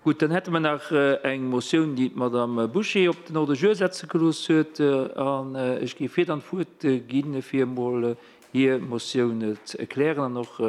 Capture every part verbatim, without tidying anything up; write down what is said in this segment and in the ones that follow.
Gutt, dann hätte mer nach eng Motioun, déi d'Madame Bouché op den Ordre du jour setze gelooss huet. An ech géif hir dann d'Wuert ginn, fir emol hir Motioun ze erklären an och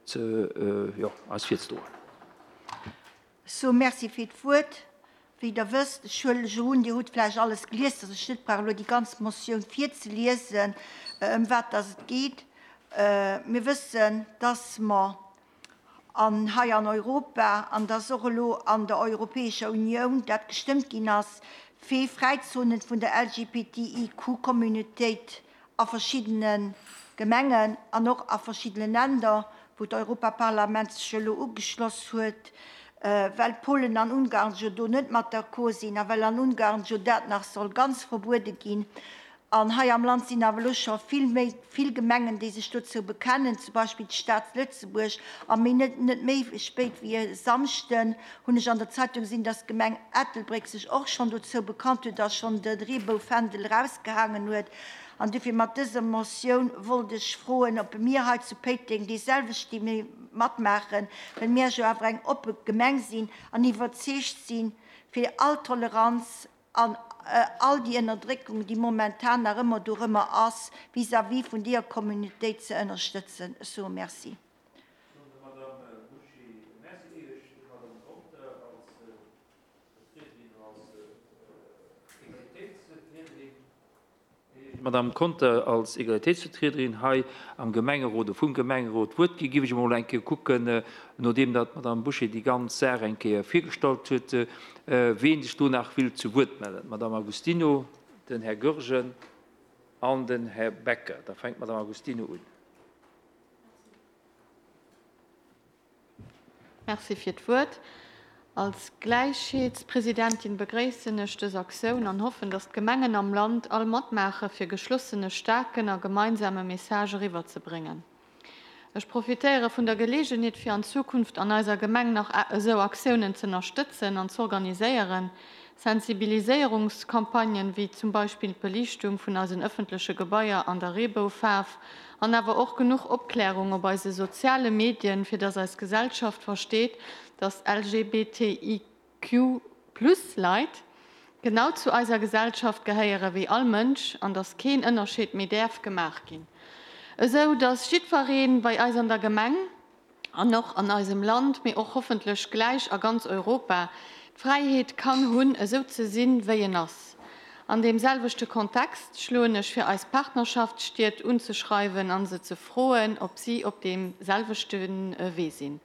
ze, jo, eis virzedroen. Sou, merci fir d'Wuert. Wéi Der wësst, ech huelen ech un, Dir hutt vläicht alles gelies, dass ech net brauch elo déi ganz Motioun virzeliesen, ëm wat dass et geet. Mir wëssen, dass mer an hei an Europa, an dass och elo an der Europäescher Unioun dat gestëmmt ginn ass, fir Fräizonen vun der L G B T I Q-Communautéit a verschiddene Gemengen an och a verschiddene Länder, wou d'Europaparlament sech elo ugeschloss huet, well Polen an Ungarn jo do net mat d'accord sinn a well an Ungarn jo dat nach soll ganz verbuede ginn. An hei am Land sinn awer elo scho vill méi vill Gemengen, déi sech dozou bekennen, zum Beispill d'Stad Lëtzebuerg. A méi net net méi spéit wéi e Samschden hunn ech an der Zeitung gesinn, dass d'Gemeng Ettelbréck sech och schonn dozou bekannt huet a schonn de Reeboufändel erausgehaangen huet. An dofir mat dëser Motioun wollt ech froen, ob mir hei zu Péiteng déi selwecht déi matmaachen, well mir jo awer eng oppe Gemeng sinn an iwwerzeegt sinn, fir all Toleranz an all déi Ënnerdréckung, déi momentan nach ëmmer dorëmmer ass, vis-à-vis vun deeër Communautéit ze ënnerstëtzen. Sou, merci. Madame Bouché, merci. Iech Madame Conter als Vertriederin, als Egalitéitsvertriederin. Madame Conter als Egalitéitsvertriederin hei am Gemengerot, vum Gemengerot d'Wuert gi, géif ech emol eng Kéier kucken, nodeem dat d'Madame Bouché déi ganz Saach eng Kéier virgestallt huet, ween sech do nach wëllt zu Wuert mellen. D'Madame Agostino, den Här Goergen an den Här Becker. Da fänkt d'Madame Agostino un. Merci fir d'Wuert. Als Gläichheetspresidentin begréissen ech dës Aktioun an hoffen, dass d'Gemengen am Land all matmaache fir geschlossene, staarken a gemeinsame Message eriwwerzebréngen. Ech profitéiere vun der Geleegenheet, fir an Zukunft an eiser Gemeng nach esou Aktiounen ze ënnerstëtzen an z'organiséieren, Sensibiliséierungscampagnen wéi zum Beispill d'Beliichtung vun eisen ëffentleche Gebaier an der Reeboufaarf an awer och genuch Opklärung op eise soziale Medien, fir dass eis Gesellschaft versteet, dass L G B T I Q plus Leit genau zu eiser Gesellschaft gehéiere wéi all Mënsch an dass keen Ënnerscheed méi däerf gemaach ginn. Esou dass jiddweree bei eis an der Gemeng an och an eisem Land, mee och hoffentlech gläich a ganz Europa, d'Fräiheet kann hunn, esou ze sinn, wéi en ass. An deem selwechte Kontext schloen ech vir, eis Partnerschaftsstied unzeschreiwen an se ze froen, ob si op deem selwechte Wee sinn.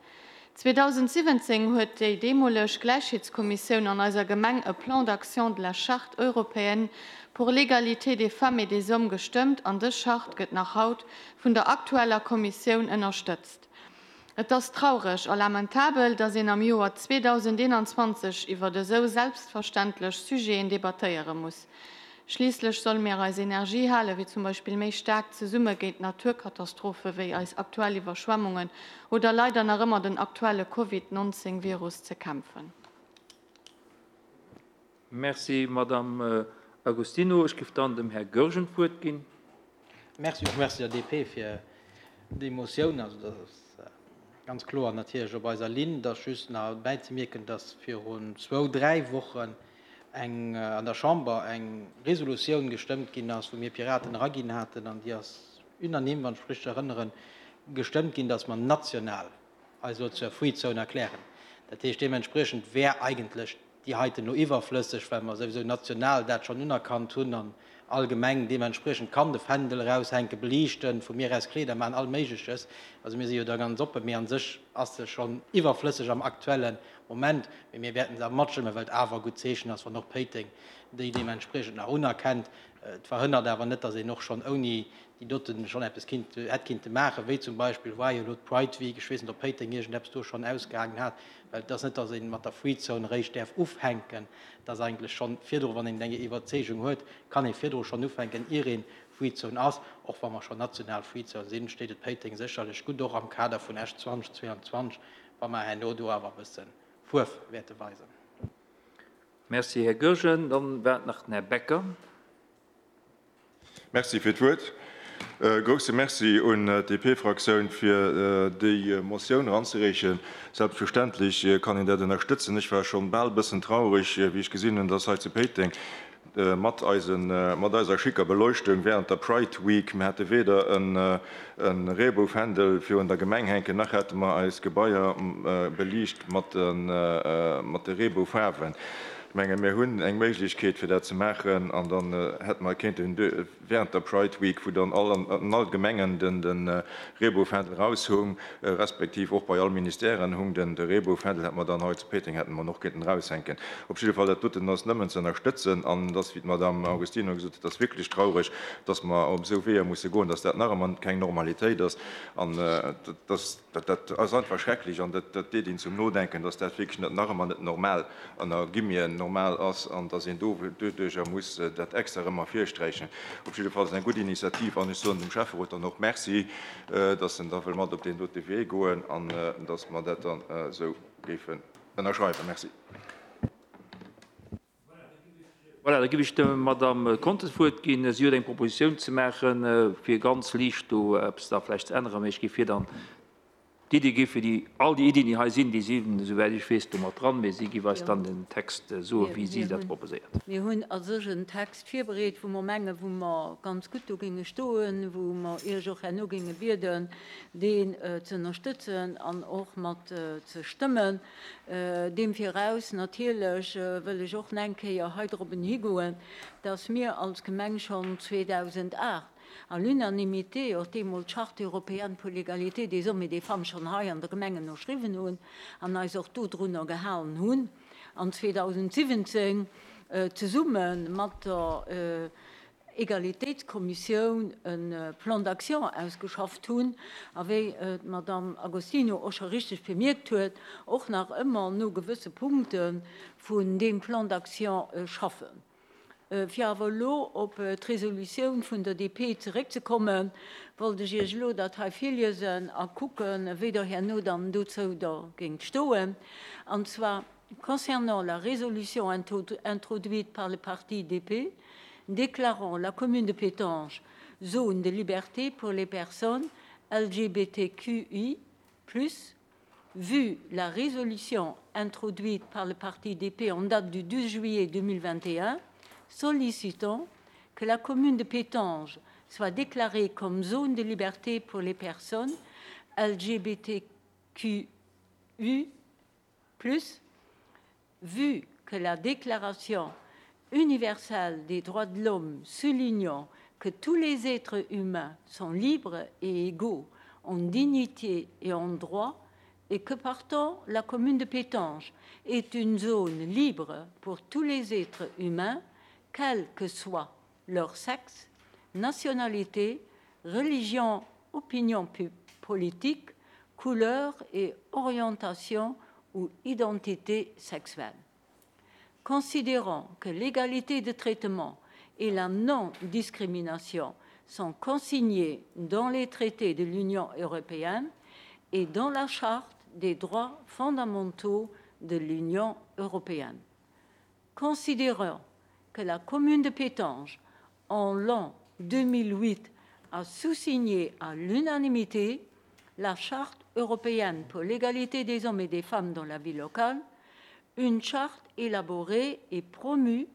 zweedausendsiwwenzéng huet déi deemoleg Gläichheetskommissioun an eiser Gemeng e Plan d'action de la Charte européenne pour l'égalité des femmes et des hommes gestëmmt an dës Charte gëtt nach haut vun der aktueller Kommissioun ënnerstëtzt. Et ass traureg a lamentabel, dass een am Joer zweedausendeenanzwanzeg iwwer esou selbstverständlech Sujeten debattéiere muss. Schliisslech solle mir eis Energie hale wéi zum Beispill méi staark zesumme géint Naturkatastrophe wéi eis aktuell Iwwerschwemmungen oder leider nach ëmmer den aktuelle Covid neunzéng Virus ze kämpfen. Merci, Madame Agostino. Ech géif dann dem Här Goergen d'Wuert ginn. Merci, och merci der D P fir déi Motioun. Also dat ass ganz kloer natierlech op eiser Linn, dass just nach bäizemierken, dass virun zwou, dräi Wochen eng an der Chamber eng Resolutioun gestëmmt ginn ass, wou mir Piraten eraginn haten, an déi ass unanime, wann ech mech richteg erënneren, gestëmmt ginn, dass mer national eis elo zur Free Zone erklären. Dat heescht, deementspriechend wär eigentlech déi heiten elo iwwerflësseg, well mer souwisou national dat schonn unerkannt hunn an all Gemeng deementspriechend kann de Fändel eraushänken, beliichten, vu mir aus Kleeder maachen, all Méigleches. Also mir si jo da ganz oppen, mee an sech ass se schonn iwwerflësseg am aktuelle Moment. Mee mir wäerten se awer matstëmmen, well et awer e gutt Zeechen ass, wann och Péiteng déi deementspriechend nach unerkennt. Et verhënnert awer net, dass een och schonn ouni déi doten schonn eppes kinnt, hätt kinnte maachen, wéi zum Beispill war jo elo d'Pride Week, ech weess net, ob Péiteng iergendeppes do schonn ausgehaangen hat, well et ass net, dass ee mat der Free Zone eréischt däerf ufänken, et ass eigentlech schonn virdru, wann een eng Iwwerzeegung huet, kann ee virdru schonn ufänken, ier ee Free Zone ass. Och wa mer schonn national Free Zone sinn, steet et Péiteng sécherlech gutt, och am Kader vun Esch zweedausendzweianzwanzeg, wa mer herno do awer e bësse Fuerf wäerte weisen. Merci, Här Goergen. Dann waart nach den Här Becker. Merci fir d'Wuert. Grousse Merci un d'DP-Fraktioun fir déi Motioun eranzereechen. Selbstverständlech kann een dat ënnerstëtzen. Ech war schonn bal e bëssen traureg, wéi ech gesinn hunn, dass hei zu Péiteng mat eisen, mat eiser schicker Beleuchtung während der Pride Week, mir hate weder e Reebou-Fändel virun der Gemeng hänken, nach hate mer eis Gebaier beliicht mat de Reebou-Faarwen. Ech menge mir hunn eng Méiglechkeet fir dat ze maachen an dann hätte mer kéinten während der Pride Week, wou dann all an all Gemengen den de Reebou-Fändel raushung, respektiv och bei all Ministèren hung den de Reebou-Fändel, hätte mer dann hei zu Péiteng hätte mer en och kéinten eraushänken. Op jidde Fall, dat doten ass nëmmen ze ënnerstëtzen an et ass, wéi d'Madame Agostino gesot huet, et ass wierklech traureg, dass mer op esou Weeër musse goen, dass dat nach ëmmer keng Normalitéit ass an dass dat dat ass einfach schrecklech an dat dat deet een zum Nodenken, dass dat wierklech net nach ëmmer net normal an a Guillemeten normal ass an dass een do doduercher muss dat extra erëm ervirsträichen. Op jidde Fall ass et eng gutt Initiativ an ech soen dem Schäfferot dann och Merci, dass en da wëll mat op deen dote Wee goen an dass mer dat dann esou géifen ënnerschreiwen. Merci. Voilà, da géif ech der Madame Conter d'Wuert ginn. Si huet eng Propositioun ze maachen, fir ganz liicht do eppes da vläicht ze änneren. Mee ech géif hir dann d'Iddi gi fir déi, all déi Iddien, déi hei sinn, déi sinn, esouwäit ech weess, do mat dran. Mee si géif eis dann den Text soen, wéi si dat proposéiert. Mir hunn a sech en Text virbereet, wou mer mengen, wou mer ganz gutt do géinge stoen, wou mer Iech och herno géinge bieden, deen ze ënnerstëtzen an och mat ze stëmmen. Deem viraus natierlech wëll ech och nach eng Kéier hei drop higoen, dass mir als Gemeng schonn zweedausendacht à l'unanimité och deemools d'Charte européenne pour l'égalité des hommes et des femmes schonn hei an der Gemeng ënnerschriwwen hunn an eis och dodrunner gehalen hunn an zweedausendsiwwenzéng zesumme mat der Egalitéitskommissioun e Plan d'action ausgeschafft hunn a wéi d'Madame Agostino och scho richteg bemierkt huet, och nach ëmmer no gewësse Punkte vun deem Plan d'action schaffen. Fir awer elo op d'Resolutioun vun der D P zeréckzekommen, wollt ech Iech elo dat hei virliesen a kucken, wéi Der herno dann dozou da géingt stoen. An zwar concernant la résolution introduite par le parti D P, déclarant la commune de Pétange zone de liberté pour les personnes L G B T Q I plus, vu la résolution introduite par le parti D P en date du douze juillet deux mille vingt et un, sollicitant que la commune de Pétange soit déclarée comme zone de liberté pour les personnes L G B T Q I plus, vu que la Déclaration universelle des droits de l'homme soulignant que tous les êtres humains sont libres et égaux en dignité et en droit et que partant la commune de Pétange est une zone libre pour tous les êtres humains, quel que soit leur sexe, nationalité, religion, opinion politique, couleur et orientation ou identité sexuelle. Considérant que l'égalité de traitement et la non-discrimination sont consignées dans les traités de l'Union européenne et dans la Charte des droits fondamentaux de l'Union européenne. Considérant que la commune de Pétange, en l'an deux mille huit, a sous-signé à l'unanimité la Charte européenne pour l'égalité des hommes et des femmes dans la vie locale, une charte élaborée et promue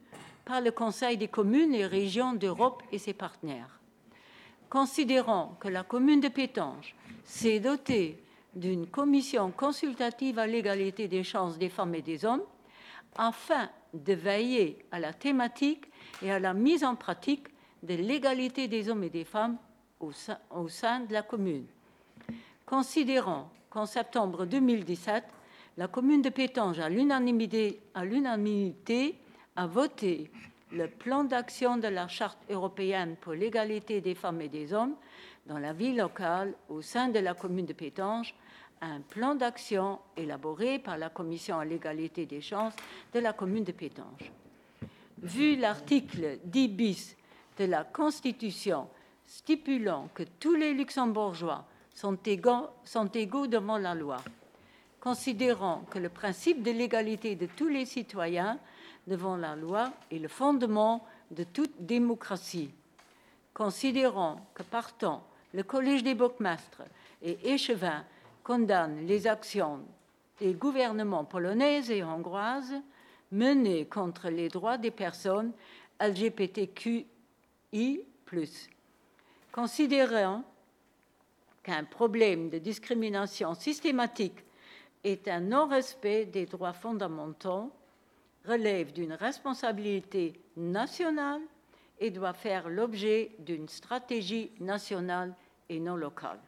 par le Conseil des communes et régions d'Europe et ses partenaires. Considérant que la commune de Pétange s'est dotée d'une commission consultative à l'égalité des chances des femmes et des hommes afin de veiller à la thématique et à la mise en pratique de l'égalité des hommes et des femmes au sein, au sein de la commune. Considérant qu'en septembre deux mille dix-sept, la commune de Pétange, à l'unanimité, à l'unanimité, a voté le plan d'action de la Charte européenne pour l'égalité des femmes et des hommes dans la vie locale au sein de la commune de Pétange, un plan d'action élaboré par la Commission à l'égalité des chances de la commune de Pétange. Vu l'article dix bis de la Constitution stipulant que tous les Luxembourgeois sont égaux, sont égaux devant la loi, considérant que le principe de l'égalité de tous les citoyens devant la loi est le fondement de toute démocratie. Considérant que partant, le Collège des bourgmestres et échevins condamne les actions des gouvernements polonaises et hongroises menées contre les droits des personnes L G B T Q I plus. Considérant qu'un problème de discrimination systématique est un non-respect des droits fondamentaux, relève d'une responsabilité nationale et doit faire l'objet d'une stratégie nationale et non locale.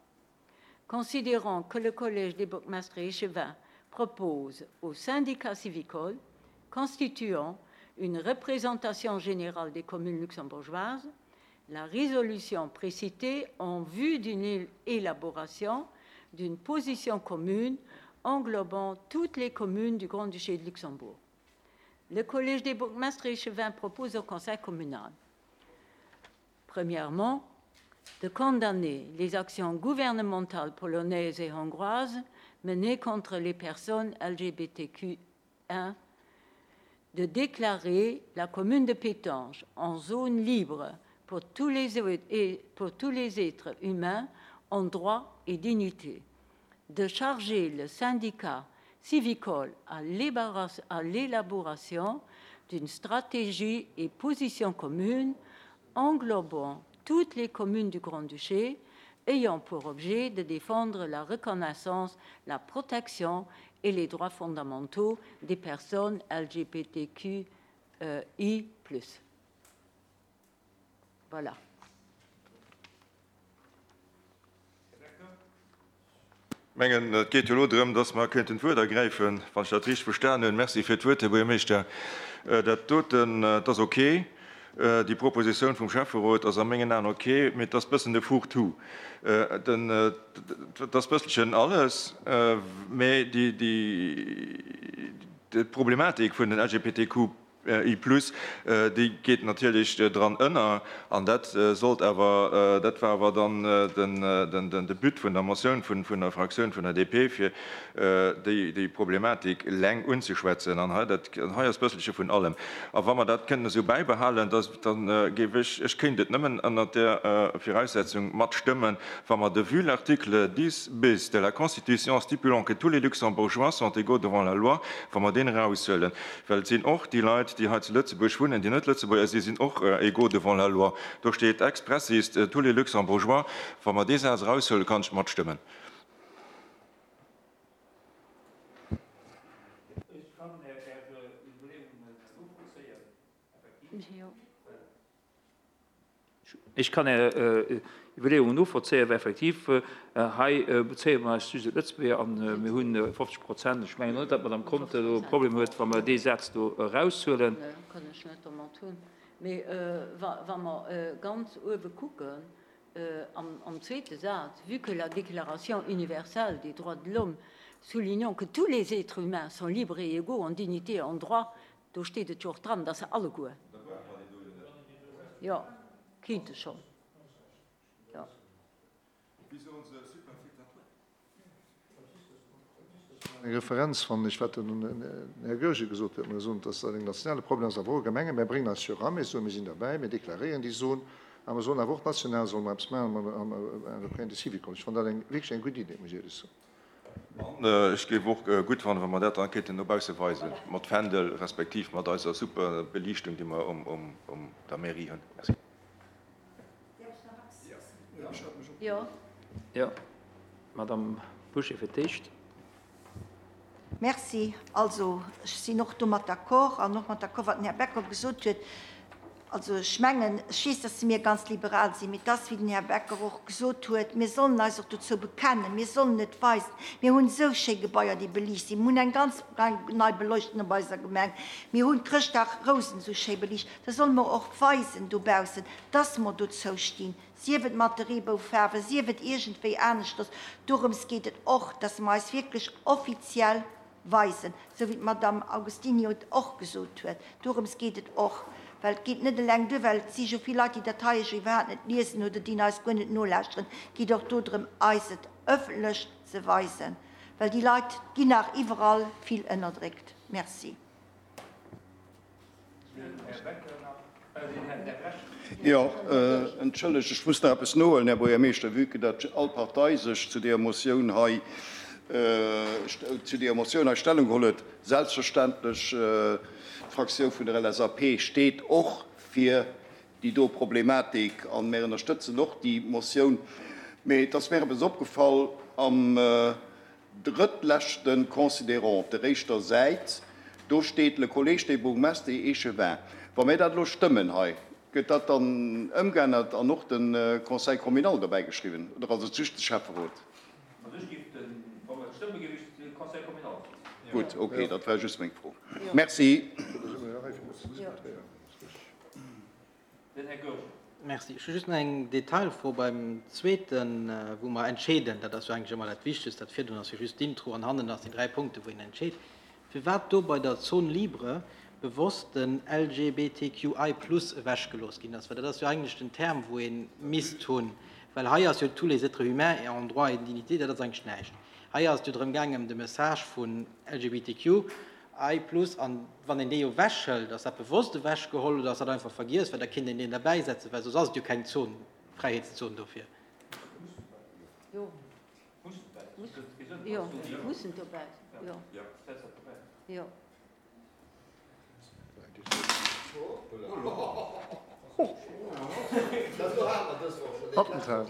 Considérant que le Collège des bourgmestres et échevins propose au syndicat civicole, constituant une représentation générale des communes luxembourgeoises, la résolution précitée en vue d'une élaboration d'une position commune englobant toutes les communes du Grand-Duché de Luxembourg. Le Collège des bourgmestres et échevins propose au Conseil communal, premièrement, de condamner les actions gouvernementales polonaises et hongroises menées contre les personnes L G B T Q un, de déclarer la commune de Pétange en zone libre pour tous les, et pour tous les êtres humains en droit et dignité, de charger le syndicat civicole à l'élaboration d'une stratégie et position commune englobant toutes les communes du Grand-Duché ayant pour objet de défendre la reconnaissance, la protection et les droits fondamentaux des personnes L G B T Q I plus. Voilà. Mengen, et geet jo elo drëm, dass mer kéinten d'Wuert ergräifen, wann ech dat richteg verstanen hunn. Merci fir d'Wuert, Här Buergermeeschter. Dat doten, dat ass ok. Déi Propositioun vum Schäfferot ass a mengen Aen ok, mee et ass bëssen de Fourre-tout. Den, et ass bësselchen alles, mee déi, déi, déi Problematik vun den L G B T Q I plus, déi geet natierlech dran ënner, an dat sollt awer, dat war awer dann den, den, de But vun der Motioun vun, vun der Fraktioun vun der D P, fir déi, déi Problematik eleng unzeschwätzen. An hei, dat, hei ass bësselche vun allem. A wa mer dat kënnen esou bäibehalen, dass, dann géif ech, ech kéint et nëmmen ënner der Viraussetzung matstëmmen, wa mer de vu l'article dix bis de la Constitution stipulant que tous les Luxembourgeois sont égaux devant la loi, wa mer deen eraushuelen. Well et sinn och déi Leit, déi hei zu Lëtzebuerg wunnen, déi net Lëtzebuerger sinn, sinn och égaux devant la loi. Do steet expressis tous les Luxembourgeois. Wa mer dee Saz eraushuelen, kann ech matstëmmen. Ech kann Är Iwwerleeungen novollzéien, effektiv. Ech kann Är Iwwerleeungen novollzéien, well effektiv hei bezéie mer eis just op Lëtzebuerger an mir hunn fofzeg Prozent. Ech mengen net, datt d'Madame Conter do e Problem huet, wa mer dee Saz do eraushuelen. Kann ech net domat hunn. Mee wa mer ganz uewe kucken, am, am zweete Saz, vu que la Déclaration universelle des droits de l'homme soulignant que tous les êtres humains sont libres et égaux en dignité et en droit, do steet et jo och dran, dass se alleguer. Jo, kéinte schonn. Jo. Eng Referenz fannen ech, wat den Här Goergen gesot huet, mir soen, dass dat en nationale Problem ass, awer och e Gemenge. Mir bréngen eis jo eran, mir soen, mir sinn derbäi, mir deklaréieren déi Zon, a mir soen awer och national solle mer eppes maachen am europäen Syvicol. Ech fannen dat eng wierklech eng gutt Idee, muss ech éierlech soen. An ech géif och gutt fannen, wa mer dat dann kéinten no bausse weisen, mat Fändel respektiv mat eiser super Beliichtung, déi mer um, um, um der Mairie hunn. Merci. Jo. Jo, Madame Bouché fir d'éischt. Merci. Also, ech sinn och domat d'accord an och mat d'accord, wat den Här Becker gesot huet. Also ech mengen, ech weess, dass mir ganz liberal sinn, mee dass, wéi den Här Becker och gesot huet, mir sollen eis och dozou bekennen, mir sollen et weisen. Mir hunn esou schéi Gebaier, déi beliicht sinn. Mir hunn eng ganz nei Beleuchtung op eiser Gemeng. Mir hunn Chrëschtdag Rousen esou schéi beliicht. Da solle mer och weisen dobaussen, dass mer dozou stinn. Sief et mat de Reeboufaarwen, sief et iergendwéi aneschters. Dorëms geet et och, dass mer eis wierklech offiziell weisen, esou wéi d'Madame Augustini et och gesot huet. Dorëms geet et och, well et geet net eleng duer, well et si jo vill Leit, déi dat hei jo iwwerhaapt net liesen oder déi eis guer net nolauschteren. Et geet och dodrëm, eis et ëffentlech ze weisen, well déi Leit ginn nach iwwerall vill ënnerdréckt. Merci. Jo, entschëllegt, ech muss nach eppes nohuelen, Här Buergermeeschter, vue que datt all Partei sech zu deeër Motioun hei, zu deeër Motioun hei Stellung geholl huet. Selbstverständlech, d'Fraktioun vun der LSAP steet och fir déi do Problematik a mär ënnerstëtzen och déi Motioun. Mee et ass mär eppes opgefall am drëttleschte Considérant op der éischter Säit, do steet le collège des bourgmestres et échevins. Wa mär dat elo stëmmen hei, gëtt dat dann ëmgeännert an och de Conseil communal dobäi geschriwwen oder ass et just de Schäfferot? Also ech géif den, wa mer et stëmmen, géif ech de Conseil communal setzen. Gutt, okay, dat war just meng Fro. Merci. Den Här Goergen. Merci. Ech hu just nach eng Detailfro beim zweeten, wou mer entscheeden. Dat ass jo eigentlech ëmmer dat Wichtegst. Dat virdrun ass jo just d'Intro an hannen ass déi dräi Punkte wou een entscheet. Firwat do bei der Zone libre bewosst den LGBTQI plus ewechgelooss ginn ass, well dat ass jo eigentlech den Term wou ee misst hunn, well hei ass jo tous les êtres humains et en droit et dignité, dat ass eigentlech näischt. Hei ass et jo drëm gaangen ëm de Message vun LGBTQI plus an wann een dee jo ewechhëlt, ass dat bewosst ewechgeholl oder ass dat einfach vergiess, well da kéint een deen derbäisetzen, well soss ass et jo keng Zon, Fräiheetszon dofir. Jo, jo, mussen dobäi, jo, jo. Attentat.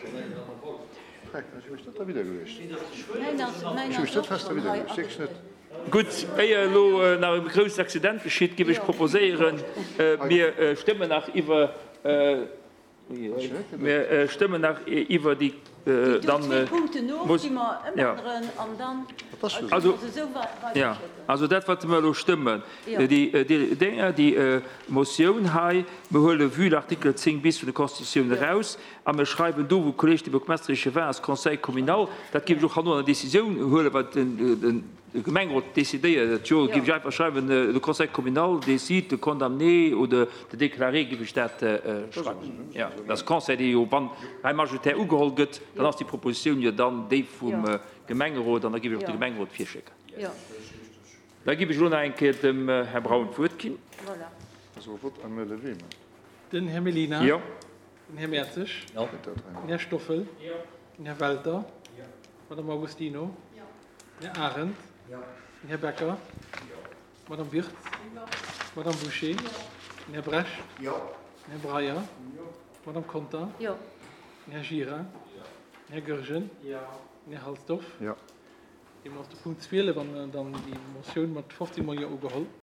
Ech hu mech net derwidder geluecht. Ech hu mech net fest derwidder geluecht, wierklech net. Gutt, éier elo nach e grousst Accident geschitt, géif ech proposéieren, mir stëmmen nach iwwer, mir stëmmen nach iwwer déi dann muss, jo, also, jo, also dat, wat mer elo stëmmen, déi Dénger, déi Motioun hei, mir huele vue l'article zéng bis vun der Constitutioun eraus a mir schreiwen do, wou Collège des bourgmestres et échevins ass, Conseil communal, dat géif ech och herno an der Décisioun huelen, well den De Gemengerot décidéiert et jo, géif ech einfach schreiwen, le Conseil communal décide de condamner oder de déclarer, géif ech dat schreiwen. Jo, dass Conseil, dee jo, wann hei majoritaire ugeholl gëtt, dann ass déi Propositioun jo dann déi vum Gemengerot an da géif ech och de Gemengerot virschécken. Da géif ech elo nach eng Kéier dem Här Braun d'Wuert ginn. Den Här Mellina. Jo. Den Här Mertzig. Jo. Den Här Stoffel. Den Här Welter. D'Madame Augustino. Den Här Arendt. Den Här Becker. D'Madame Wirtz. D'Madame Bouché. Den Här Brecht. Den Här Breyer. D'Madame Conter. Den Här Gira. Den Här Goergen. Den Här Halsdorf. Deemno ass de Punkt zwielef an dann déi Motioun mat fofzéng mol Jo ugeholl.